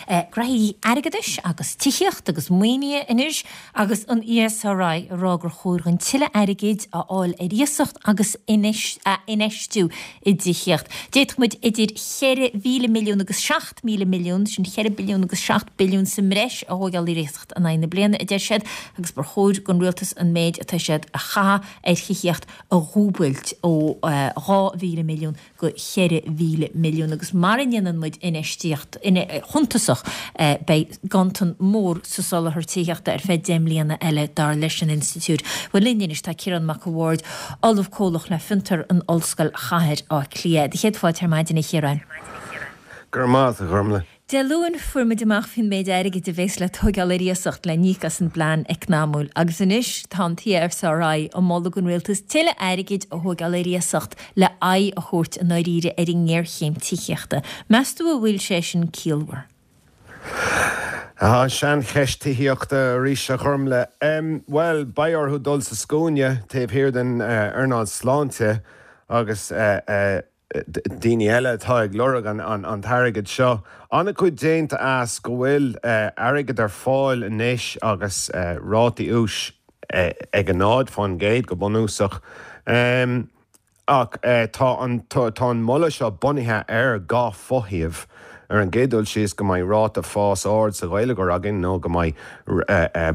Graithí airgeadais agus tithíocht agus maoinithe anois agus an ESRI ag rá gur chóir dhúinn tuilleadh airgid a fháil ar iasacht agus a infheistiú i dtithíocht. D'fhéadfadh muid idir 4,000 milliún agus 7,000 milliún, sin 4 billiún agus 7 billiún sa mbreis a thóigeáil ar iasacht in aghaidh na bliana, a deir siad, agus gur chóir don rialtas an méid atá siad a chaitheamh ar thithíocht a dhúbailt ó 2,000 milliún go 4,000 milliún agus mara ndéanann muid infheistíocht shuntasach beidh ganntan mór sa soláthar tithíochta ar feadh 10 mbliana eile, dar leis an institiúid. Bhuel linn anois tá Ciarán Mac a' Bhaird, Ollamh Comhlach le Fiontar in Ollscoil Chathair Átha Cliath. Do chéad fáilte ar maidin a Chiaráin. Go raibh maith agat, a Ghormlaith. Dé Luain fuair muid amach faoin méid airgid a bhéas le tóigeáil ar iasacht le n-íoc as an bplean eacnamúil agus anois tá an tESRI ag moladh don rialtas tuilleadh airgid a thóigeáil ar iasacht le aghaidh a thabhairt i ndáiríre ar an ngéarchéim tithíochta. Meas tú an bhfuil sé sin ciallmhar? An seancheist tithíochta arís, a Ghormlaith. Bhuel, beidh orthu dul sa scuaine taobh thiar den earnáil sláinte agus daoine eile atá ag lorg an t-airgead seo. An-chuid déanta as go bhfuil airgead ar fáil anois agus rátaí úis ag 0% go bunúsach. Ach tá an tá an moladh seo bunaithe ar dhá fothaobh. Ar an gcéad dul síos go mbeidh ráta fás ard sa gheilleagar againn nó go mbeidh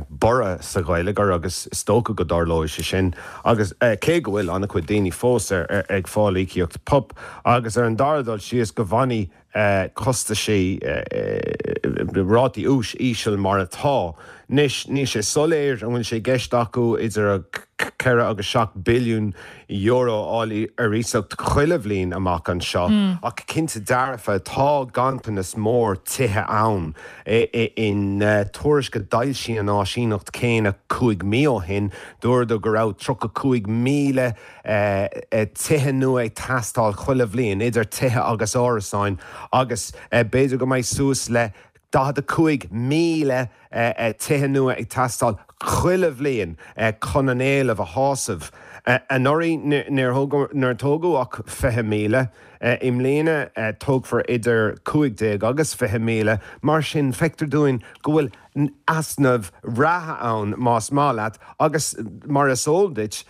borradh sa gheilleagar agus is dócha go dtarlóidh sé sin agus cé go bhfuil an-chuid daoine fós ag fáil íocaíocht PUP agus ar an dara dul síos go bhfanfaidh costaisí, rátaí úis íseal mar atá. Anois níl sé soiléir an bhfuil sé i gceist acu idir 4 agus 7 billiún euro a fháil ar iasacht chuile bhliain amach anseo ach cinnte dearfa tá ganntanas mór tithe ann. In tuairisc a d'fhoilsigh an áisíneacht céanna 5 mí ó shin, dúradar go raibh 35,000 tithe nua ag teastáil chuile bhliain, idir tithe agus árasáin, agus b'fhéidir go mbeidh suas le 45,000 tithe nua ag teastáil chuile bhliain chun an éileamh a shásamh. Anuraidh níor tógadh ach 20,000. I mbliana tógfar idir 15 agus 20,000. Mar sin feictear dúinn go bhfuil easnamh reatha ann más maith leat agus mar is eol duit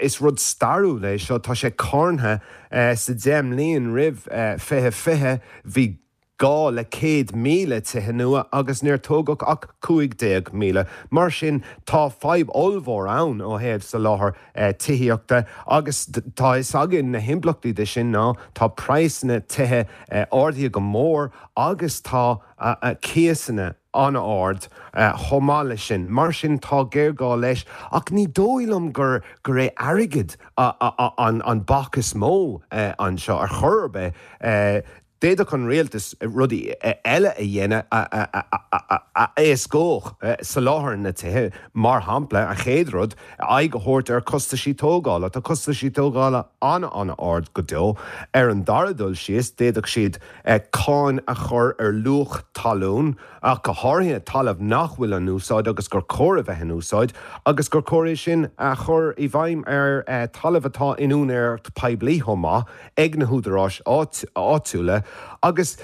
is rud stairiúil é seo, tá sé carntha sa 10 mbliain roimh 2020 bhí gá le 100,000 tithe nua agus níor tógadh ach 15,000. Mar sin, tá fadhb ollmhór ann ó thaobh soláthar tithíochta agus tá fhios againn na himpleachtaí de sin ná tá praghsanna tithe ardaithe go mór agus tá cíosanna an-ard chomh maith leis sin. Mar sin, tá géarghá leis ach ní dóigh liom gur gur é airgead an bac is mó anseo ar chor ar bith. D'fhéadfadh an rialtas rudaí eile a dhéanamh a éascódh soláthar na tithe, mar shampla, an chéad rud, aghaidh a thabhairt ar chostaisí tógála. Tá costaisí tógála an-an-ard go deo. Ar an dara dul síos, d'fhéadfadh siad cáin a chur ar luach talún, ach go háirithe talamh nach bhfuil in úsáid agus gur chóir a bheith in úsáid, agus gur chóir é sin a chur i bhfeidhm ar talamh atá in úinéireacht poiblí chomh maith. ag na húdaráis áitiúla agus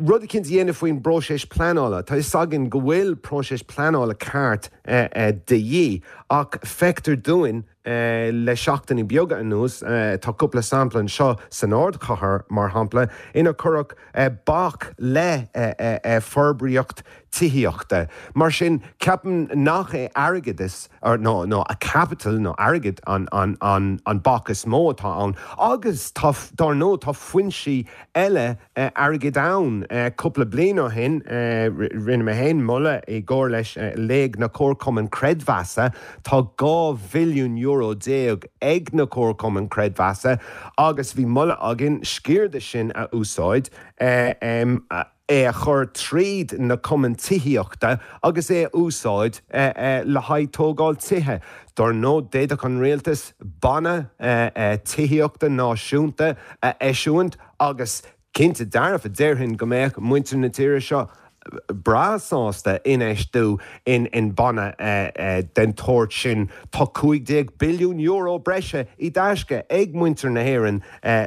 rud eicínt a dhéanamh faoin bpróiseas pleanála. Tá fhios againn go bhfuil próiseas pleanála ceart de dhíth ach feictear dúinn le seachtainí beaga anuas, tá cúpla sampla anseo san ardchathair mar shampla, inar cuireadh bac le forbraíocht tithíochta. Mar sin, ceapaim nach é airgeadas nó nó caipiteal nó airgead an an an an bac is mó atá ann. Agus tá, dár ndóigh, tá foinsí eile airgid ann. Cúpla bliain ó shin, rinne mé féin moladh i gcomhar leis léig na Comharchumainn Creidmheasa. Tá €12 bhilliún ag na Comharchumainn Creidmheasa agus bhí moladh againn sciar de sin a úsáid. é a chur tríd na cumainn tithíochta agus é a úsáid le haghaidh tógáil tithe. Dár ndóigh, d'fhéadfadh an rialtas banna tithíochta náisiúnta a eisiúint agus cinnte dearfa, déarfainn go mbeadh muintir na tíre seo. breá sásta infheistiú in banna den tsórt sin. Tá €15 billiún breise i dtaisce ag muintir na hÉireann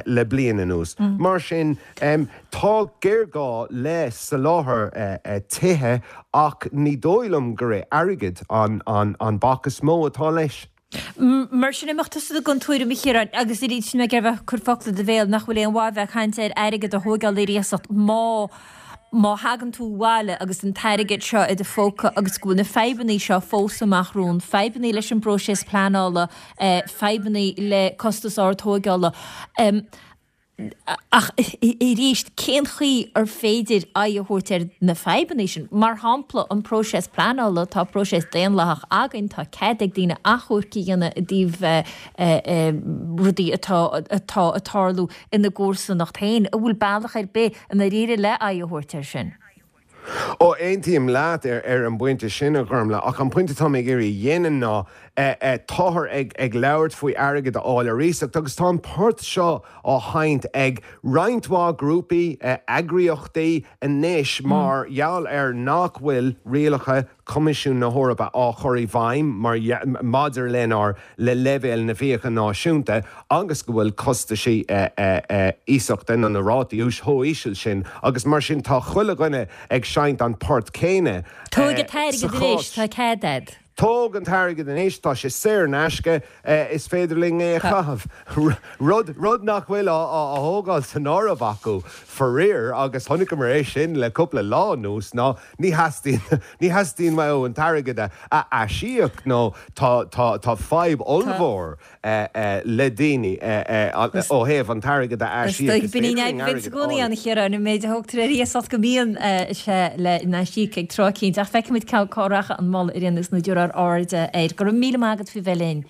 le bliain anuas. Mar sin, tá géarghá le soláthar tithe ach ní dóigh liom gur é airgead an bac is mó atá leis. Mar sin, an mbeadh tusa den tuairim, a Chiaráin, agus arís níl mé ag iarraidh bheith ag cur focla i do bhéal, nach bhfuil aon mhaith bheith ag caint ar airgead a thóigeáil ar iasacht má má thagann tú abhaile agus an t-airgead seo i do phóca agus go bhfuil na fadhbannaí seo fós amach romhainn, fadhbannaí leis an bpróiseas pleanála, fadhbannaí le costas ard tóigeála. Ach arís, cén chaoi ar féidir aghaidh a thabhairt ar na fadhbanna sin? Mar shampla, an próiseas pleanála, tá próiseas daonlathach againn, tá cead ag daoine achomhairc a dhéanamh i dtaobh rudaí atá atá ag tarlú ina gcomharsanacht féin. An bhfuil bealach ar bith i ndáiríre le aghaidh a thabhairt air sin? Ó, aontaím leat ar an bpointe sin, a Ghormlaith, ach an pointe atá mé ag iarraidh a dhéanamh ná, táthar ag labhairt faoi airgead a fháil ar iasacht agus tá an port seo á sheinnt ag roinnt mhaith grúpaí, eagraíochtaí anois mar gheall ar nach bhfuil rialacha Choimisiún na hEorpa á chur i bhfeidhm mar maidir lenár le leibhéal na bhfiacha náisiúnta agus go bhfuil costaisí iasachta nó na rátaí úis chomh híseal sin agus mar sin tá chuile dhuine ag seinnt an port céanna Tóg an t-airgead anois, tá cead a'd. Tóg an t-airgead anois, tá sé saor in aisce, is féidir linn é a chaitheamh. Rud, rud nach bhfuil á thógáil san áireamh acu, faraor, agus chonaiceamar é sin le cúpla lá anuas, ná Ní theastaíonn, ní theastaíonn uathu an t-airgead a aisíoc nó tá, tá, tá fadhb ollmhór le daoine ó thaobh an t-airgead a aisíoc. Is dóigh, bíonn an fhadhb i gcónaí ann, a Chiaráin, an méid a thógtar ar iasacht go mbíonn sé le n-aisíoc ag tráth eicínt. Ach feicfimid cá rachaidh an moladh ar aon nós nó tabharfar aird air. Go raibh míle maith agat faoi bheith linn.